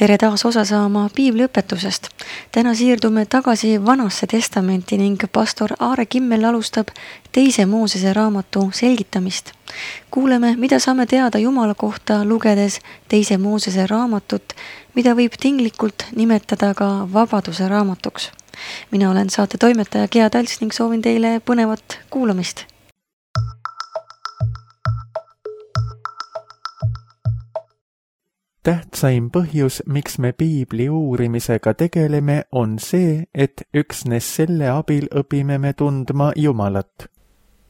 Tere taas osa saama piibliõpetusest. Täna siirdume tagasi Vanasse testamenti ning pastor Aare Kimmel alustab 2. Moosese raamatu selgitamist. Kuuleme, mida saame teada Jumala kohta lugedes 2. Moosese raamatut, mida võib tinglikult nimetada ka vabaduse raamatuks. Mina olen saate toimetaja Gea Talts ning soovin teile põnevat kuulamist. Tähtsaim põhjus, miks me piibli uurimisega tegeleme, on see, et üksnes selle abil õpime me tundma Jumalat.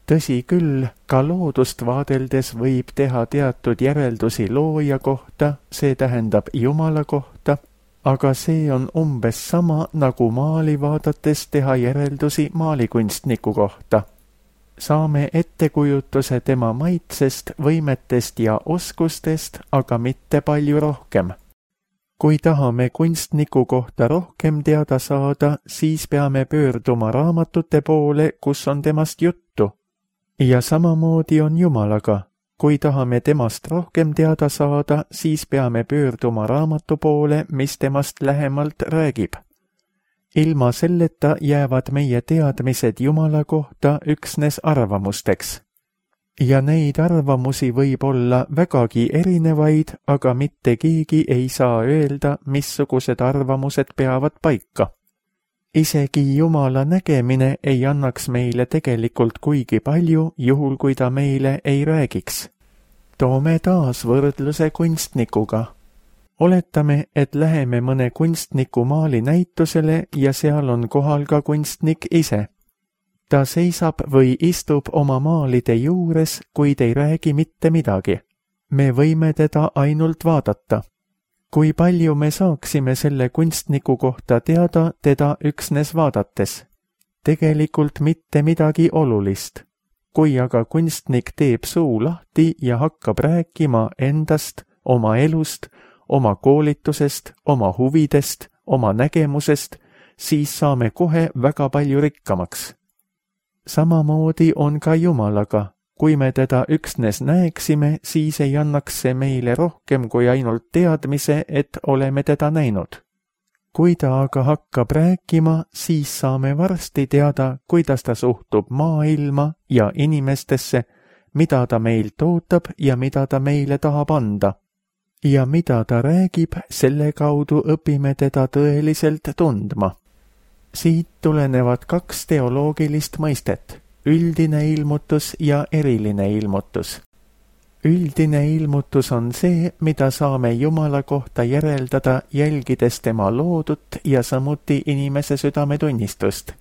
Tõsi küll, ka loodust vaadeldes võib teha teatud järeldusi looja kohta, see tähendab Jumala kohta, aga see on umbes sama, nagu maali vaadates teha järeldusi maalikunstniku kohta. Saame ettekujutuse tema maitsest, võimetest ja oskustest, aga mitte palju rohkem. Kui tahame kunstniku kohta rohkem teada saada, siis peame pöörduma raamatute poole, kus on temast juttu. Ja samamoodi on Jumalaga. Kui tahame temast rohkem teada saada, siis peame pöörduma raamatu poole, mis temast lähemalt räägib. Ilma selleta jäävad meie teadmised Jumala kohta üksnes arvamusteks. Ja neid arvamusi võib olla vägagi erinevaid, aga mitte keegi ei saa öelda, missugused arvamused peavad paika. Isegi Jumala nägemine ei annaks meile tegelikult kuigi palju, juhul kui ta meile ei räägiks. Toome taas võrdluse kunstnikuga. Oletame, et läheme mõne kunstniku maali näitusele ja seal on kohal ka kunstnik ise. Ta seisab või istub oma maalide juures, kuid ei räägi mitte midagi. Me võime teda ainult vaadata. Kui palju me saaksime selle kunstniku kohta teada teda üksnes vaadates? Tegelikult mitte midagi olulist. Kui aga kunstnik teeb suu lahti ja hakkab rääkima endast, oma elust, oma koolitusest, oma huvidest, oma nägemusest, siis saame kohe väga palju rikkamaks. Samamoodi on ka Jumalaga. Kui me teda üksnes näeksime, siis ei annaks see meile rohkem kui ainult teadmise, et oleme teda näinud. Kui ta aga hakkab rääkima, siis saame varsti teada, kuidas ta suhtub maailma ja inimestesse, mida ta meilt ootab ja mida ta meile tahab anda. Ja mida ta räägib, selle kaudu õpime teda tõeliselt tundma. Siit tulenevad 2 teoloogilist mõistet, üldine ilmutus ja eriline ilmutus. Üldine ilmutus on see, mida saame Jumala kohta järeldada, jälgides tema loodut ja samuti inimese südametunnistust.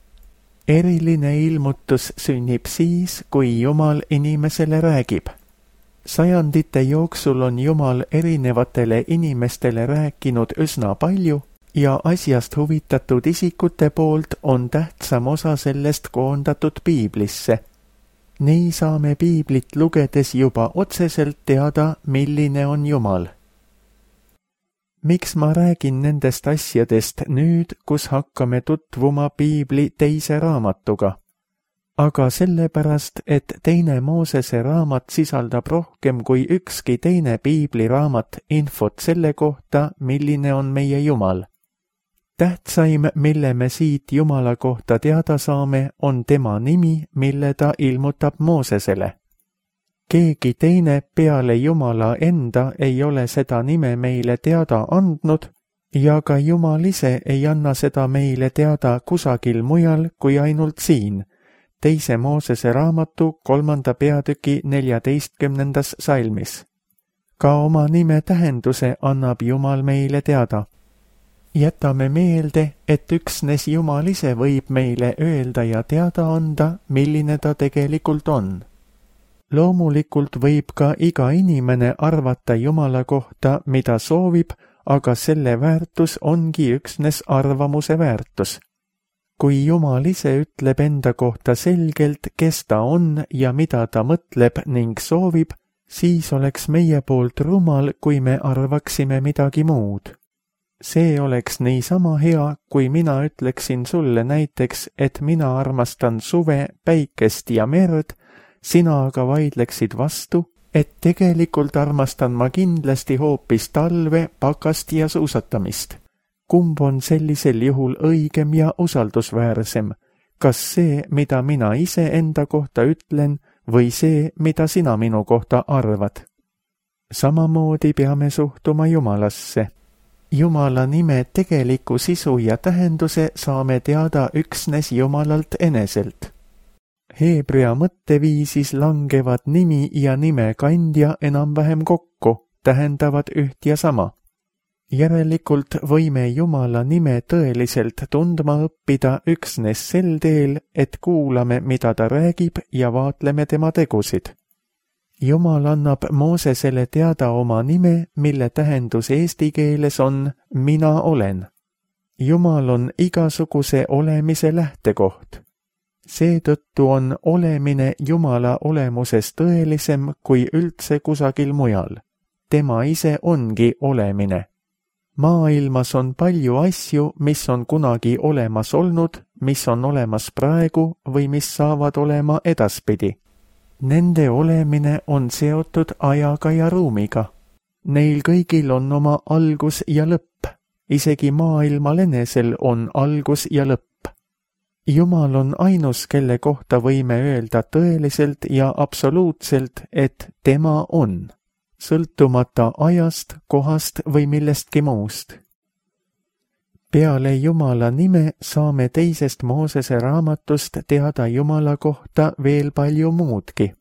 Eriline ilmutus sünnib siis, kui Jumal inimesele räägib. Sajandite jooksul on Jumal erinevatele inimestele rääkinud üsna palju ja asjast huvitatud isikute poolt on tähtsam osa sellest koondatud piiblisse. Nii saame piiblit lugedes juba otseselt teada, milline on Jumal. Miks ma räägin nendest asjadest nüüd, kus hakkame tutvuma piibli 2. raamatuga? Aga sellepärast, et 2. Moosese raamat sisaldab rohkem kui ükski teine piibliraamat infot selle kohta, milline on meie Jumal. Tähtsaim, mille me siit Jumala kohta teada saame, on tema nimi, mille ta ilmutab Moosesele. Keegi teine peale Jumala enda ei ole seda nime meile teada andnud ja ka Jumal ise ei anna seda meile teada kusagil mujal kui ainult siin. 2. Moosese raamatu 3. peatüki 14. salmis. Ka oma nime tähenduse annab Jumal meile teada. Jätame meelde, et üksnes Jumal ise võib meile öelda ja teada anda, milline ta tegelikult on. Loomulikult võib ka iga inimene arvata Jumala kohta, mida soovib, aga selle väärtus ongi üksnes arvamuse väärtus. Kui Jumal ise ütleb enda kohta selgelt, kes ta on ja mida ta mõtleb ning soovib, siis oleks meie poolt rumal, kui me arvaksime midagi muud. See oleks niisama hea, kui mina ütleksin sulle näiteks, et mina armastan suve, päikest ja merd, sina aga vaidleksid vastu et tegelikult armastan ma kindlasti hoopis talve, pakast ja suusatamist. Kumb on sellisel juhul õigem ja usaldusväärsem? Kas see, mida mina ise enda kohta ütlen, või see, mida sina minu kohta arvad? Samamoodi peame suhtuma Jumalasse. Jumala nime tegeliku sisu ja tähenduse saame teada üksnes Jumalalt eneselt. Heebrea mõtteviisis langevad nimi ja nime kandja enam-vähem kokku, tähendavad üht ja sama. Järelikult võime Jumala nime tõeliselt tundma õppida üksnes sel teel, et kuulame, mida ta räägib ja vaatleme tema tegusid. Jumal annab Moosesele teada oma nime, mille tähendus eesti keeles on mina olen. Jumal on igasuguse olemise lähtekoht. Seetõttu on olemine Jumala olemuses tõelisem kui üldse kusagil mujal. Tema ise ongi olemine. Maailmas on palju asju, mis on kunagi olemas olnud, mis on olemas praegu või mis saavad olema edaspidi. Nende olemine on seotud ajaga ja ruumiga. Neil kõigil on oma algus ja lõpp. Isegi maailmal enesel on algus ja lõpp. Jumal on ainus, kelle kohta võime öelda tõeliselt ja absoluutselt, et tema on, sõltumata ajast, kohast või millestki muust. Peale Jumala nime saame teisest Moosese raamatust teada Jumala kohta veel palju muudki.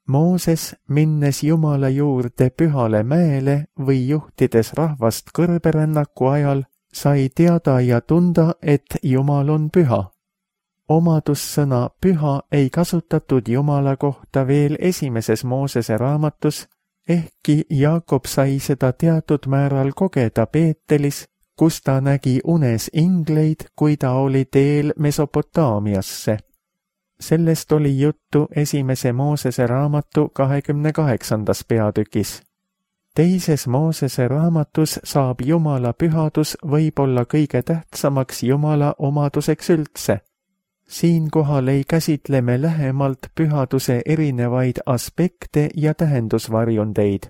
Mooses, minnes Jumala juurde pühale mäele või juhtides rahvast kõrberännaku ajal, sai teada ja tunda, et Jumal on püha. Omadussõna püha ei kasutatud Jumala kohta veel esimeses Moosese raamatus, ehkki Jaakob sai seda teatud määral kogeda Peetelis, kus ta nägi unes ingleid, kui ta oli teel Mesopotaamiasse. Sellest oli juttu esimese Moosese raamatu 28. peatükis. Teises Moosese raamatus saab Jumala pühadus võib-olla kõige tähtsamaks Jumala omaduseks üldse. Siinkohal ei käsitle me lähemalt pühaduse erinevaid aspekte ja tähendusvarjundeid.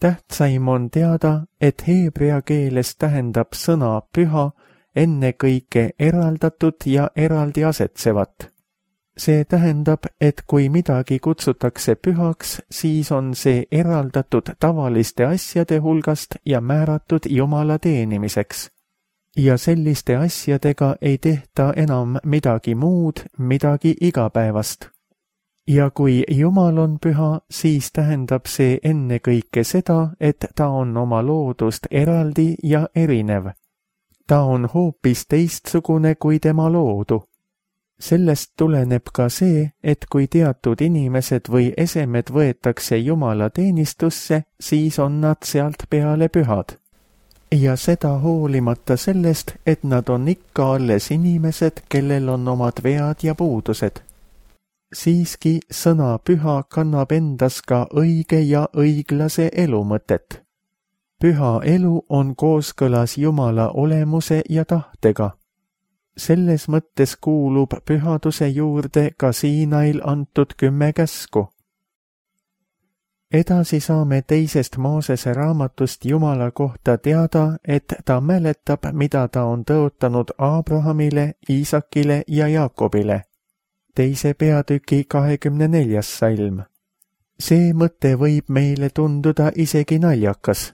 Tähtsaim on teada, et heebrea keeles tähendab sõna püha ennekõike eraldatud ja eraldi asetsevat. See tähendab, et kui midagi kutsutakse pühaks, siis on see eraldatud tavaliste asjade hulgast ja määratud Jumala teenimiseks. Ja selliste asjadega ei tehta enam midagi muud, midagi igapäevast. Ja kui Jumal on püha, siis tähendab see ennekõike seda, et ta on oma loodust eraldi ja erinev. Ta on hoopis teistsugune kui tema loodu. Sellest tuleneb ka see, et kui teatud inimesed või esemed võetakse Jumala teenistusse, siis on nad sealt peale pühad. Ja seda hoolimata sellest, et nad on ikka alles inimesed, kellel on omad vead ja puudused. Siiski sõna püha kannab endas ka õige ja õiglase elu mõtet. Püha elu on kooskõlas Jumala olemuse ja tahtega. Selles mõttes kuulub pühaduse juurde ka Siinail antud 10 käsku. Edasi saame teisest Moosese raamatust Jumala kohta teada, et ta mäletab, mida ta on tõotanud Abrahamile, Iisakile ja Jaakobile. Teise peatüki 24. salm. See mõte võib meile tunduda isegi naljakas.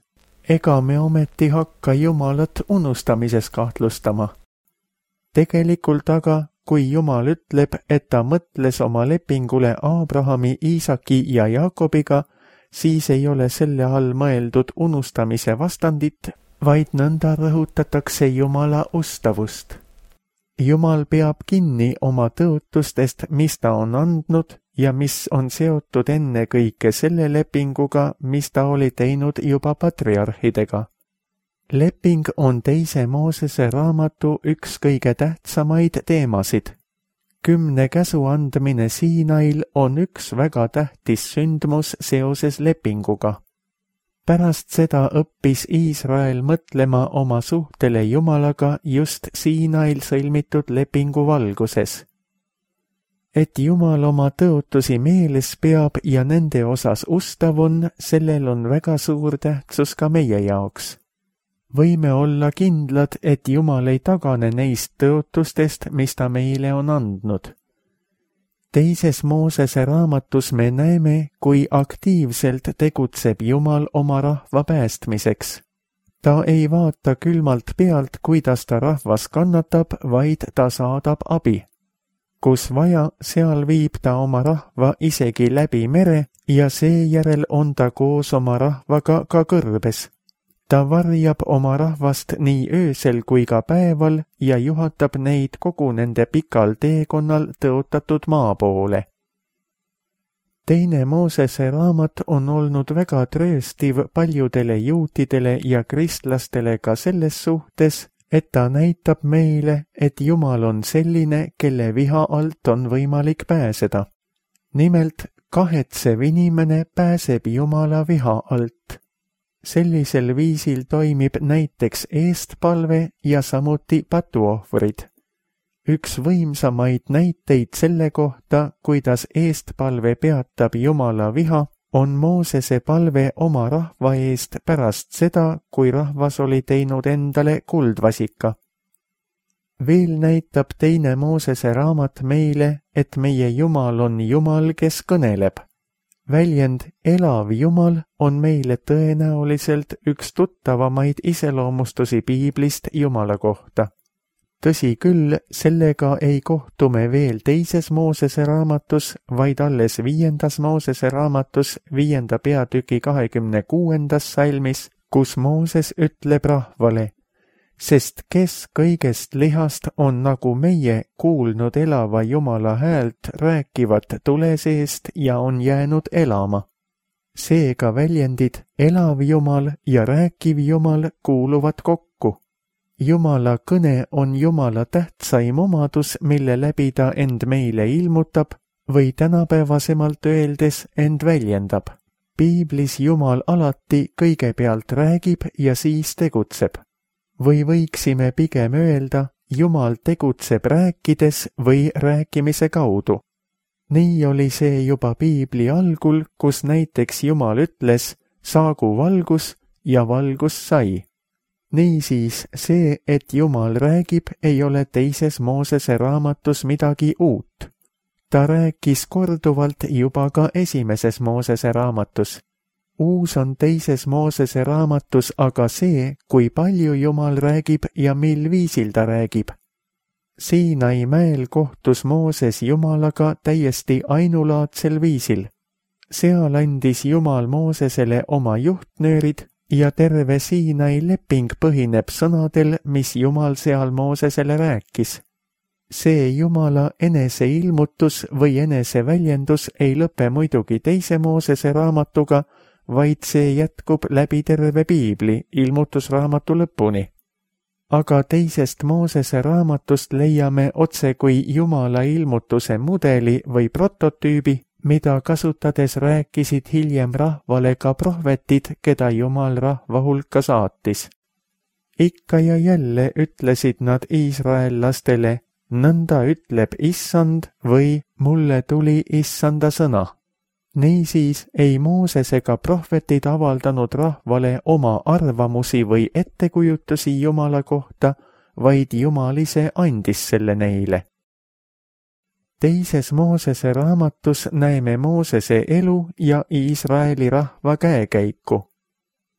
Ega me ometi hakka Jumalat unustamises kahtlustama. Tegelikult aga, kui Jumal ütleb, et ta mõtles oma lepingule Abrahami, Iisaki ja Jaakobiga, siis ei ole selle all mõeldud unustamise vastandit, vaid nõnda rõhutatakse Jumala ustavust. Jumal peab kinni oma tõotustest, mis ta on andnud ja mis on seotud ennekõike selle lepinguga, mis ta oli teinud juba patriarhidega. Leping on teise Moosese raamatu üks kõige tähtsamaid teemasid. 10 käsu andmine Siinail on üks väga tähtis sündmus seoses lepinguga. Pärast seda õppis Iisrael mõtlema oma suhtele Jumalaga just Siinail sõlmitud lepingu valguses. et Jumal oma tõotusi meeles peab ja nende osas ustav on, sellel on väga suur tähtsus ka meie jaoks. Võime olla kindlad, et Jumal ei tagane neist tõotustest, mis ta meile on andnud. Teises Moosese raamatus me näeme, kui aktiivselt tegutseb Jumal oma rahva päästmiseks. Ta ei vaata külmalt pealt, kuidas ta rahvas kannatab, vaid ta saadab abi. Kus vaja, seal viib ta oma rahva isegi läbi mere ja seejärel on ta koos oma rahvaga ka kõrbes. Ta varjab oma rahvast nii öösel kui ka päeval ja juhatab neid kogu nende pikal teekonnal tõotatud maa poole. Teine Moosese raamat on olnud väga trööstiv paljudele juutidele ja kristlastele ka selles suhtes, et ta näitab meile, et Jumal on selline, kelle viha alt on võimalik pääseda. Nimelt, kahetsev inimene pääseb Jumala viha alt. Sellisel viisil toimib näiteks eestpalve ja samuti patuohvrid. Üks võimsamaid näiteid selle kohta, kuidas eestpalve peatab Jumala viha, on Moosese palve oma rahva eest pärast seda, kui rahvas oli teinud endale kuldvasika. Veel näitab teine Moosese raamat meile, et meie Jumal on Jumal, kes kõneleb. Väljend elav Jumal on meile tõenäoliselt üks tuttavamaid iseloomustusi piiblist Jumala kohta. Tõsi küll, sellega ei kohtu me veel teises Moosese raamatus, vaid alles 5. Moosese raamatus 5. peatüki 26. salmis, kus Mooses ütleb rahvale, sest kes kõigest lihast on nagu meie kuulnud elava Jumala häält rääkivat tule seest ja on jäänud elama. Seega väljendid elav Jumal ja rääkiv Jumal kuuluvad kokku. Jumala kõne on Jumala tähtsaim omadus, mille läbi ta end meile ilmutab või tänapäevasemalt öeldes end väljendab. Piiblis Jumal alati kõigepealt räägib ja siis tegutseb. Või võiksime pigem öelda, Jumal tegutseb rääkides või rääkimise kaudu. Nii oli see juba Piibli algul, kus näiteks Jumal ütles, saagu valgus ja valgus sai. Niisiis see, et Jumal räägib, ei ole teises Moosese raamatus midagi uut. Ta rääkis korduvalt juba ka esimeses Moosese raamatus. Uus on teises Moosese raamatus aga see, kui palju Jumal räägib ja mil viisil ta räägib. Siinai mäel kohtus Mooses Jumalaga täiesti ainulaadsel viisil. Seal andis Jumal Moosesele oma juhtnöörid ja terve Siinai leping põhineb sõnadel, mis Jumal seal Moosesele rääkis. See Jumala eneseilmutus või eneseväljendus ei lõpe muidugi teise Moosese raamatuga, vaid see jätkub läbi terve Piibli ilmutusraamatu lõpuni. Aga teisest Moosese raamatust leiame otse kui Jumala ilmutuse mudeli või prototüübi, mida kasutades rääkisid hiljem rahvale ka prohvetid, keda Jumal rahva hulka saatis. Ikka ja jälle ütlesid nad iisraellastele, nõnda ütleb Issand või mulle tuli Issanda sõna. Niisiis ei Mooses ega prohvetid avaldanud rahvale oma arvamusi või ettekujutusi Jumala kohta, vaid Jumal ise andis selle neile. Teises Moosese raamatus näeme Moosese elu ja Iisraeli rahva käekäiku.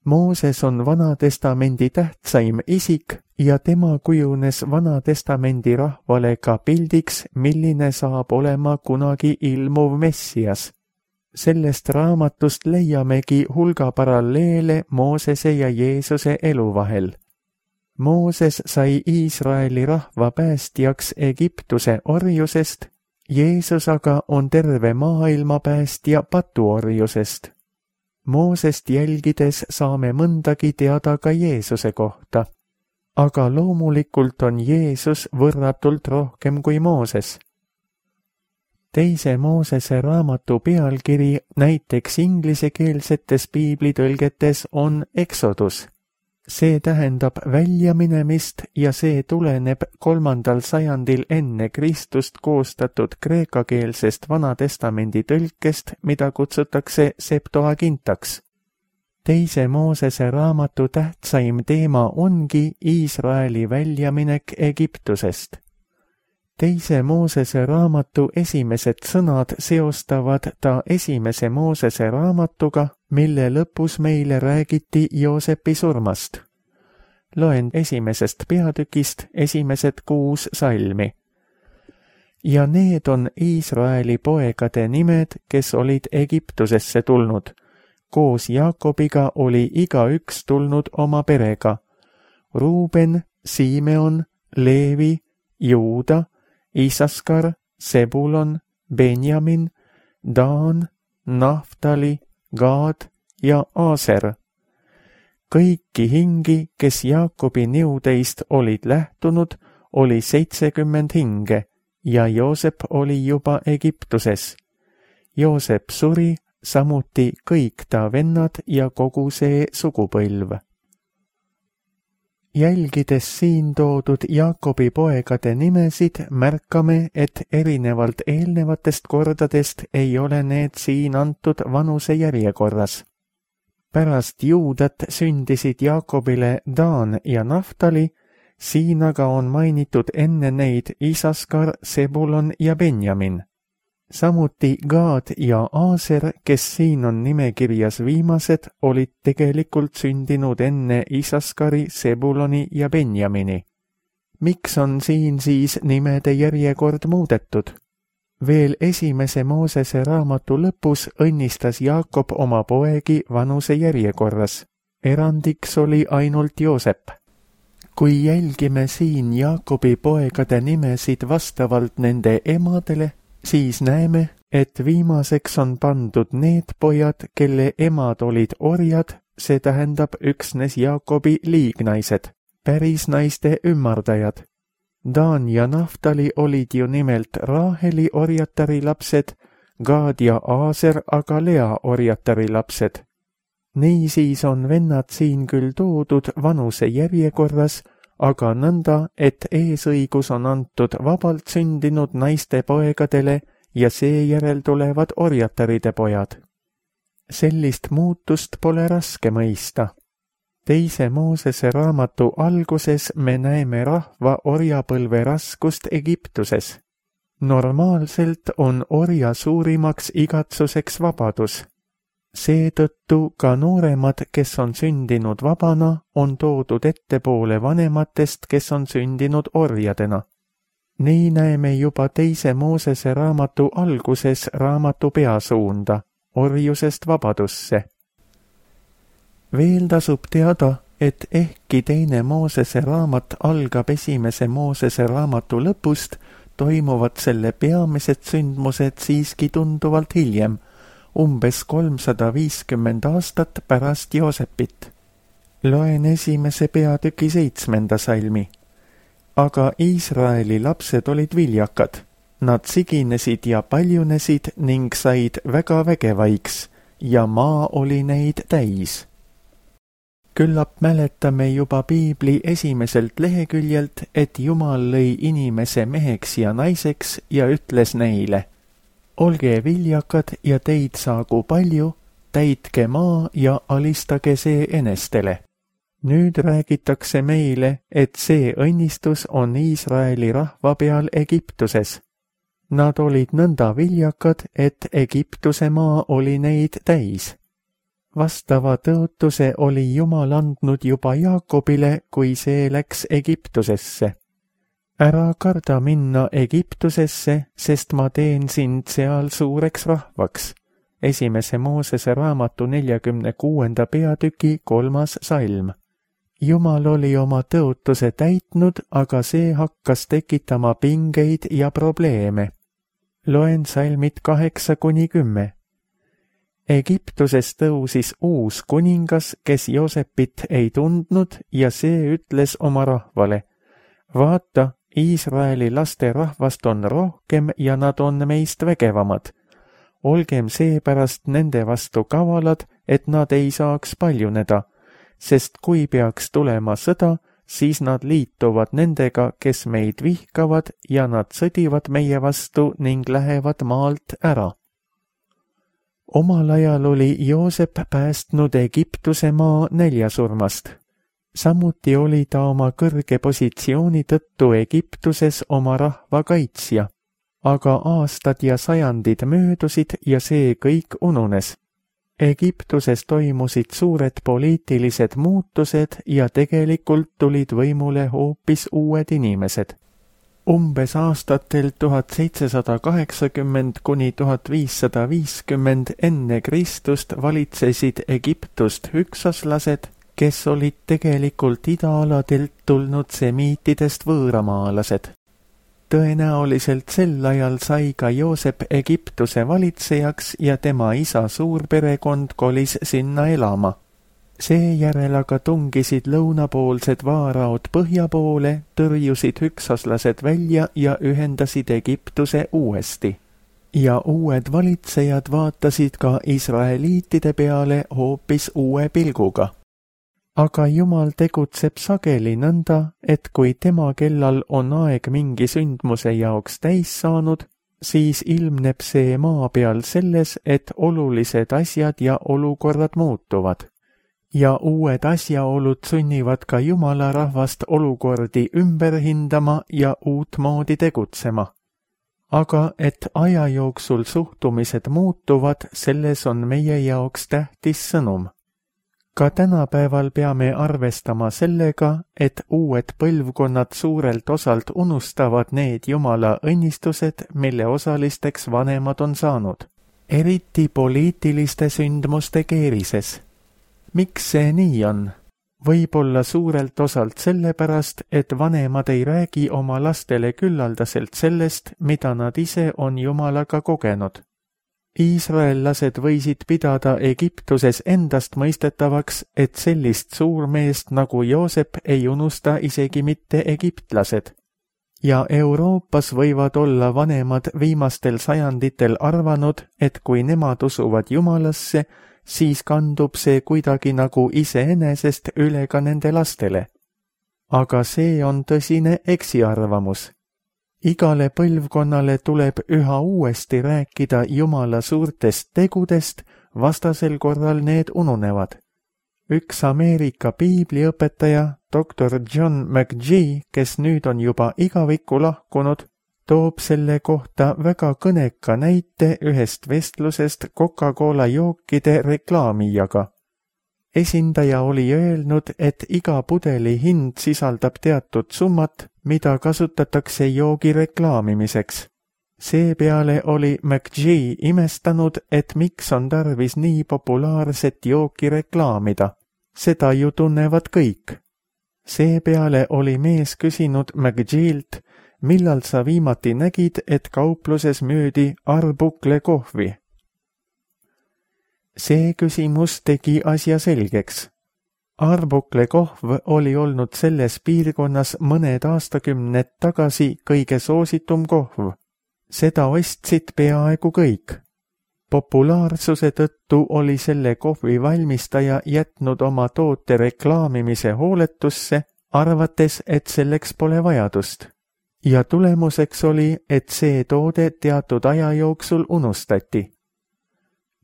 Mooses on Vanatestamendi tähtsaim isik ja tema kujunes Vanatestamendi rahvale ka pildiks, milline saab olema kunagi ilmuv Messias. Sellest raamatust leiamegi hulga paralleele Moosese ja Jeesuse elu vahel. Mooses sai Iisraeli rahva päästjaks Egiptuse orjusest, Jeesus aga on terve maailma päästja patuorjusest. Moosest jälgides saame mõndagi teada ka Jeesuse kohta, aga loomulikult on Jeesus võrratult rohkem kui Mooses. Teise Moosese raamatu pealkiri näiteks inglisekeelsetes piiblitõlgetes on Exodus. See tähendab väljaminemist ja see tuleneb 3. sajandil enne Kristust koostatud kreekakeelsest Vanatestamendi tõlkest, mida kutsutakse Septuagintaks. Teise Moosese raamatu tähtsaim teema ongi Iisraeli väljaminek Egiptusest. Teise Moosese raamatu esimesed sõnad seostavad ta esimese Moosese raamatuga, mille lõpus meile räägiti Joosepi surmast. Loen esimesest peatükist esimesed 6 salmi. Ja need on Iisraeli poegade nimed, kes olid Egiptusesse tulnud. Koos Jaakobiga oli igaüks tulnud oma perega. Ruuben, Simeon, Leevi, Juuda, Isaskar, Sebulon, Benjamin, Daan, Naftali, Gaad ja Aaser. Kõiki hingi, kes Jaakobi niudeist olid lähtunud, oli 70 hinge ja Joosep oli juba Egiptuses. Joosep suri, samuti kõik ta vennad ja kogu see sugupõlv. Jälgides siin toodud Jaakobi poegade nimesid, märkame, et erinevalt eelnevatest kordadest ei ole need siin antud vanuse järjekorras. Pärast Juudat sündisid Jaakobile Daan ja Naftali, siin aga on mainitud enne neid Isaskar, Sebulon ja Benjamin. Samuti Gaad ja Aaser, kes siin on nimekirjas viimased, olid tegelikult sündinud enne Isaskari, Sebuloni ja Benjamini. Miks on siin siis nimede järjekord muudetud? Veel esimese Moosese raamatu lõpus õnnistas Jaakob oma poegi vanuse järjekorras. Erandiks oli ainult Joosep. Kui jälgime siin Jaakobi poegade nimesid vastavalt nende emadele, siis näeme, et viimaseks on pandud need pojad, kelle emad olid orjad, see tähendab üksnes Jaakobi liignaised, päris naiste ümardajad. Daan ja Naftali olid ju nimelt Raaheli orjatari lapsed, Gaad ja Aaser aga Lea orjatari lapsed. Niisiis on vennad siin küll toodud vanuse järjekorras, aga nõnda, et eesõigus on antud vabalt sündinud naiste poegadele ja seejärel tulevad orjataride pojad. Sellist muutust pole raske mõista. Teise Moosese raamatu alguses me näeme rahva orjapõlve raskust Egiptuses. Normaalselt on orja suurimaks igatsuseks vabadus. Seetõttu ka nooremad, kes on sündinud vabana, on toodud ettepoole vanematest, kes on sündinud orjadena. Nii näeme juba Teise Moosese raamatu alguses raamatu peasuunda, orjusest vabadusse. Veel tasub teada, et ehkki Teine Moosese raamat algab esimese Moosese raamatu lõpust, toimuvad selle peamised sündmused siiski tunduvalt hiljem, umbes 350 aastat pärast Joosepit. Loen esimese peatüki 7. salmi. Aga Iisraeli lapsed olid viljakad. Nad siginesid ja paljunesid ning said väga vägevaiks ja maa oli neid täis. Küllap mäletame juba Piibli esimeselt leheküljelt, et Jumal lõi inimese meheks ja naiseks ja ütles neile: olge viljakad ja teid saagu palju, täitke maa ja alistage see enestele. Nüüd räägitakse meile, et see õnnistus on Iisraeli rahva peal Egiptuses. Nad olid nõnda viljakad, et Egiptuse maa oli neid täis. Vastava tõotuse oli Jumal andnud juba Jaakobile, kui see läks Egiptusesse. Ära karda minna Egiptusesse, sest ma teen sind seal suureks rahvaks. Esimese Moosese raamatu 46. peatüki 3. salm. Jumal oli oma tõotuse täitnud, aga see hakkas tekitama pingeid ja probleeme. Loen salmid 8-10. Egiptuses tõusis uus kuningas, kes Joosepit ei tundnud ja see ütles oma rahvale: vaata, Iisraeli laste rahvast on rohkem ja nad on meist vägevamad. Olgem seepärast nende vastu kavalad, et nad ei saaks paljuneda. sest kui peaks tulema sõda, siis nad liituvad nendega, kes meid vihkavad ja nad sõdivad meie vastu ning lähevad maalt ära. Omal ajal oli Joosep päästnud Egiptuse maa näljasurmast. Samuti oli ta oma kõrge positsiooni tõttu Egiptuses oma rahva kaitsja, aga aastad ja sajandid möödusid ja see kõik ununes. Egiptuses toimusid suured poliitilised muutused ja tegelikult tulid võimule hoopis uued inimesed. Umbes aastatel 1780 kuni 1550 enne Kristust valitsesid Egiptust hüksaslased, kes olid tegelikult idaaladelt tulnud semiitidest võõramaalased. Tõenäoliselt sel ajal sai ka Joosep Egiptuse valitsejaks ja tema isa suurperekond kolis sinna elama. Seejärel aga tungisid lõunapoolsed vaaraod põhja poole, tõrjusid hüksaslased välja ja ühendasid Egiptuse uuesti. Ja uued valitsejad vaatasid ka israeliitide peale hoopis uue pilguga. Aga Jumal tegutseb sageli nõnda, et kui tema kellal on aeg mingi sündmuse jaoks täis saanud, siis ilmneb see maa peal selles, et olulised asjad ja olukorrad muutuvad. Ja uued asjaolud sunnivad ka Jumala rahvast olukordi ümber hindama ja uutmoodi tegutsema. Aga et aja jooksul suhtumised muutuvad, selles on meie jaoks tähtis sõnum. Ka tänapäeval peame arvestama sellega, et uued põlvkonnad suurelt osalt unustavad need Jumala õnnistused, mille osalisteks vanemad on saanud, eriti poliitiliste sündmuste keerises. Miks see nii on? Võib-olla suurelt osalt sellepärast, et vanemad ei räägi oma lastele küllaldaselt sellest, mida nad ise on Jumalaga kogenud. Iisraellased võisid pidada Egiptuses endast mõistetavaks, et sellist suurmeest nagu Joosep ei unusta isegi mitte egiptlased. Ja Euroopas võivad olla vanemad viimastel sajanditel arvanud, et kui nemad usuvad Jumalasse, siis kandub see kuidagi nagu iseenesest üle ka nende lastele. Aga see on tõsine eksiarvamus. Igale põlvkonnale tuleb üha uuesti rääkida Jumala suurtest tegudest, vastasel korral need ununevad. Üks Ameerika piibliõpetaja, Dr. John McGee, kes nüüd on juba igavikku lahkunud, toob selle kohta väga kõneka näite ühest vestlusest Coca-Cola jookide reklaamijaga. Esindaja oli öelnud, et iga pudeli hind sisaldab teatud summat, mida kasutatakse joogi reklaamimiseks. Seepeale oli McGee imestanud, et miks on tarvis nii populaarset jooki reklaamida. Seda ju tunnevad kõik. Seepeale oli mees küsinud McGeelt, millal sa viimati nägid, et kaupluses müüdi Arbukle kohvi. See küsimus tegi asja selgeks. Arbukle kohv oli olnud selles piirkonnas mõned aastakümned tagasi kõige soositum kohv. Seda ostsid peaaegu kõik. Populaarsuse tõttu oli selle kohvi valmistaja jätnud oma toote reklaamimise hooletusse, arvates, et selleks pole vajadust. Ja tulemuseks oli, et see toode teatud aja jooksul unustati.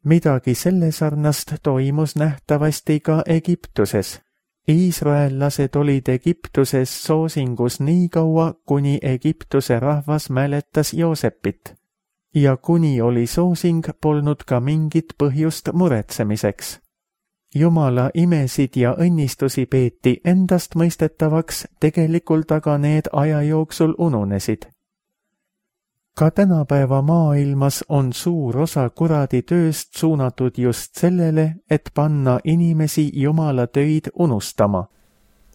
Midagi selle sarnast toimus nähtavasti ka Egiptuses. Iisraellased olid Egiptuses soosingus nii kaua, kuni Egiptuse rahvas mäletas Joosepit. Ja kuni oli soosing, polnud ka mingit põhjust muretsemiseks. Jumala imesid ja õnnistusi peeti endast mõistetavaks, tegelikult aga need aja jooksul ununesid. Ka tänapäeva maailmas on suur osa kuradi tööst suunatud just sellele, et panna inimesi Jumala töid unustama.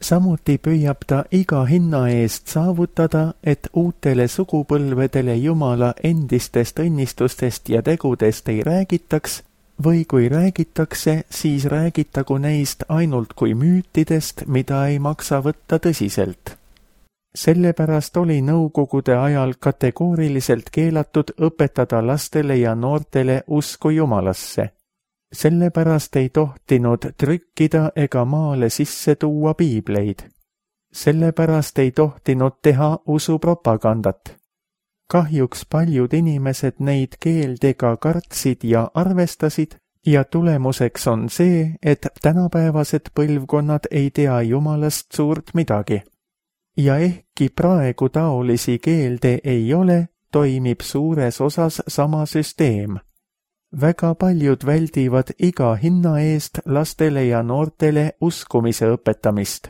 Samuti püüab ta iga hinna eest saavutada, et uutele sugupõlvedele Jumala endistest õnnistustest ja tegudest ei räägitaks, või kui räägitakse, siis räägitagu neist ainult kui müütidest, mida ei maksa võtta tõsiselt. Sellepärast oli nõukogude ajal kategooriliselt keelatud õpetada lastele ja noortele usku Jumalasse. Sellepärast ei tohtinud trükkida ega maale sisse tuua piibleid. Sellepärast ei tohtinud teha usupropagandat. Kahjuks paljud inimesed neid keeldega kartsid ja arvestasid ja tulemuseks on see, et tänapäevased põlvkonnad ei tea Jumalast suurt midagi. Ja ehkki praegu taolisi keelde ei ole, toimib suures osas sama süsteem. Väga paljud väldivad iga hinna eest lastele ja noortele uskumise õpetamist.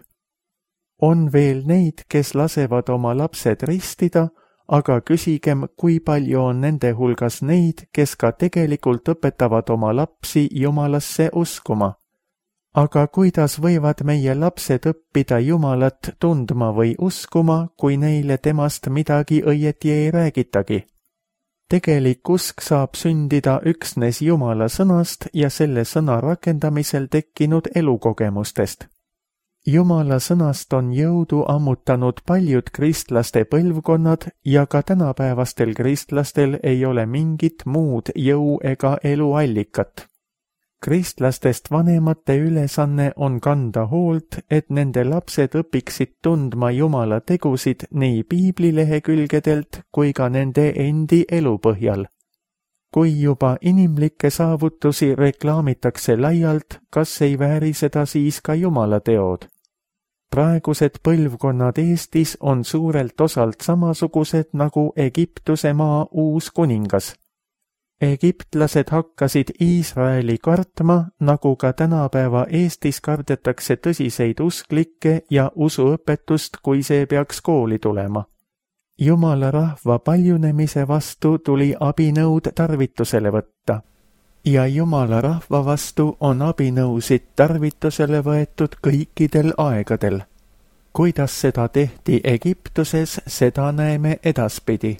On veel neid, kes lasevad oma lapsed ristida, aga küsigem, kui palju on nende hulgas neid, kes ka tegelikult õpetavad oma lapsi Jumalasse uskuma. Aga kuidas võivad meie lapsed õppida Jumalat tundma või uskuma, kui neile temast midagi õieti ei räägitagi? Tegelik usk saab sündida üksnes Jumala sõnast ja selle sõna rakendamisel tekkinud elukogemustest. Jumala sõnast on jõudu ammutanud paljud kristlaste põlvkonnad ja ka tänapäevastel kristlastel ei ole mingit muud jõu ega eluallikat. Kristlastest vanemate ülesanne on kanda hoolt, et nende lapsed õpiksid tundma Jumala tegusid nii piiblilehekülgedelt kui ka nende endi elu põhjal. Kui juba inimlikke saavutusi reklaamitakse laialt, kas ei vääri seda siis ka Jumala teod? Praegused põlvkonnad Eestis on suurelt osalt samasugused nagu Egiptuse maa uus kuningas. Egiptlased hakkasid Iisraeli kartma, nagu ka tänapäeva Eestis kardetakse tõsiseid usklikke ja usuõpetust, kui see peaks kooli tulema. Jumala rahva paljunemise vastu tuli abinõud tarvitusele võtta. Ja Jumala rahva vastu on abinõusid tarvitusele võetud kõikidel aegadel. Kuidas seda tehti Egiptuses, seda näeme edaspidi.